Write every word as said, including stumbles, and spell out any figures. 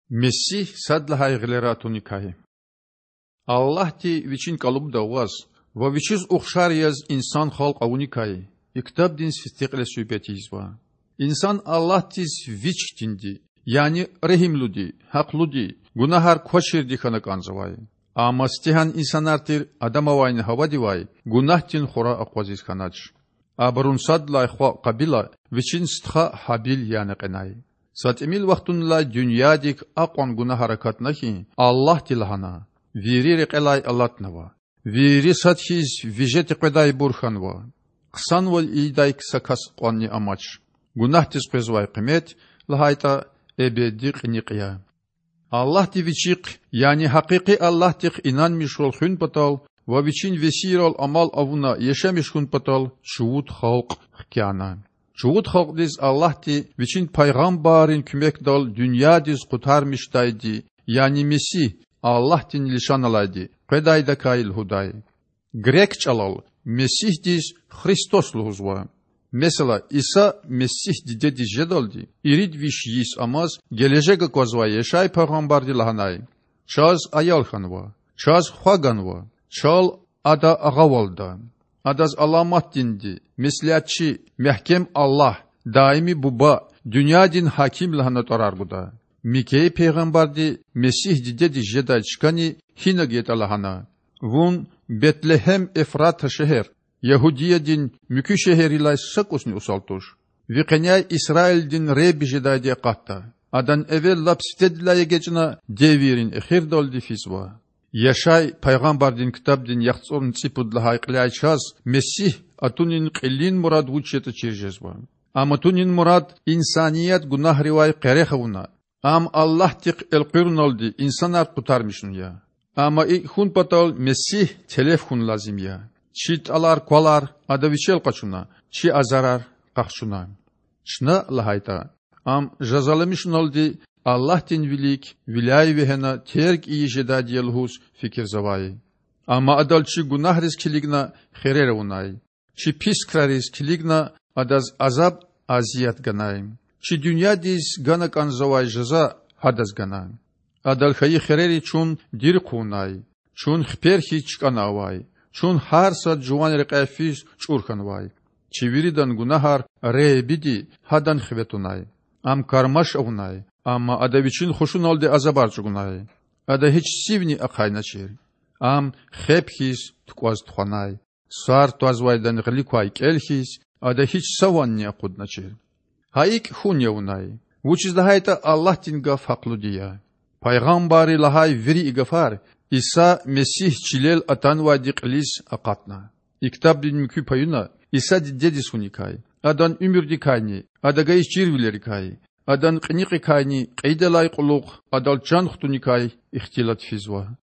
Месигь сад лагьай гъилера атуникай. Аллагьди Вичин кІалубда аваз ва Вичиз ухшар яз инсан халкь авуникай и ктабдин сифтекьливиле суьгьбет ийизва. Инсан Аллагьдиз Вич хьтинди, яни регьимлуди, гьахълуди, гунагьар квачирди хьана кІанзавай. Амма сифтегьан инсанар тир Адам авайни Гьавадивай гунагьдин хура акъвазиз хьанач. Абурун сад лагьай хва Къабила вичин стха Гьабил яна кьенай. Са тІимил вахтунилай дуьньядик акьван гунагьар акатна хьи, Аллагьди лагьана: Вири рекьелай алатнава, вири сад хьиз вижеди къведайбур хьанва. Хъсанвал ийидай са кас кьванни амач. Гунагьдиз къвезвай къимет, лагьайтІа, эбеди кьиникь я. Аллагьди Вичихъ, яни гьакъикъи Аллагьдихъ инанмишвал хуьн патал ва Вичин весийрал амал авуна яшамиш хьун патал чувуд халкь хкяна. Чувуд халкьдиз Аллагьди Вичин пайгъамбаррин куьмекдал дуьньядиз Къутармишдайди, яни Месигь, Аллагьдин лишан алайди, къведайдакай лугьудай. Грек чІалал Месигьдиз Христос лугьузва. Месела, Иса Месигь дидедиз жедалди ирид виш йис амаз гележег аквазвай Яшай пайгъамбарди лагьанай: Чаз аял хьанва, чаз хва ганва, чал Ада агъавалда. Адаз Аламатдинди, Меслятчи, Мягькем Аллагь, Даими Буба, Дуьньядин Гьаким лагьана тІварар гуда. Микей пайгъамбарди Месигь дидедиз жедай чкани гьинаг ятІа лагьана: Вун, Бетлегьем-Эфрата шегьер, Ягьудиядин муькуь шегьеррилай са кІусни усал туш. Ви къеняй Исраилдин Худа жедайди акъатда. Адан эвел лап сифтедилай эгечІна девиррин эхирдалди физва. Яшай пайгъамбардин ктабдин яхцІурни цІипуд лагьай кьиляй чаз Месигь атунин кьилин мурад вуч ятІа чир жезва. Ам атунин мурад инсаният гунагьривай къерех авуна, ам Аллагьдихъ элкъуьруналди инсанар къутармишун я. Амма икІ хьун патал Месигь телеф хьун лазим я. Чи тІалар-квалар Ада Вичел къачуна, чи азарар къахчуна. Чна, лагьайтІа, Ам жазаламишуналди Аллагьдин вилик виляй вегьена терг ийиз жедайди я лугьуз фикирзавай. Амма Адал чи гунагьриз килигна хирер авунай, чи пис крариз килигна Адаз азаб-азият ганай. Чи дуьньядиз гана кІанзавай жаза Гьадаз гана. Адал хьайи хирери чун дири хъувунай, чун хипер хьиз чкІана авай, чун гьар сад жуван рекьяй физ чІур хьанвай. Чи виридан гунагьар Худадин хиве тунай. Ам кармаш авунай, амма Ада Вичин хушуналди азабар чІугунай. Ада гьич сивни ахъайначир. Ам хеб хьиз тукІваз тухванай, сар твазвайдан гъилик квай кІел хьиз, Ада гьич са ванни акъудначир. Гьа икІ хьун я авунай, вучиз лагьайтІа Аллагьдин гаф гьахълуди я. Пайгъамбарри лагьай вири и гафар Иса Месигь чилел атанвайди кьилиз акъатна. И ктабдин муькуь паюна Иса дидедиз хьуникай, Адан уьмуьрдикайни Ада гайи чирвилерикай, Адан кьиникьикайни кьейидалай кьулухъ Адал чан хтуникай ихтилат физва.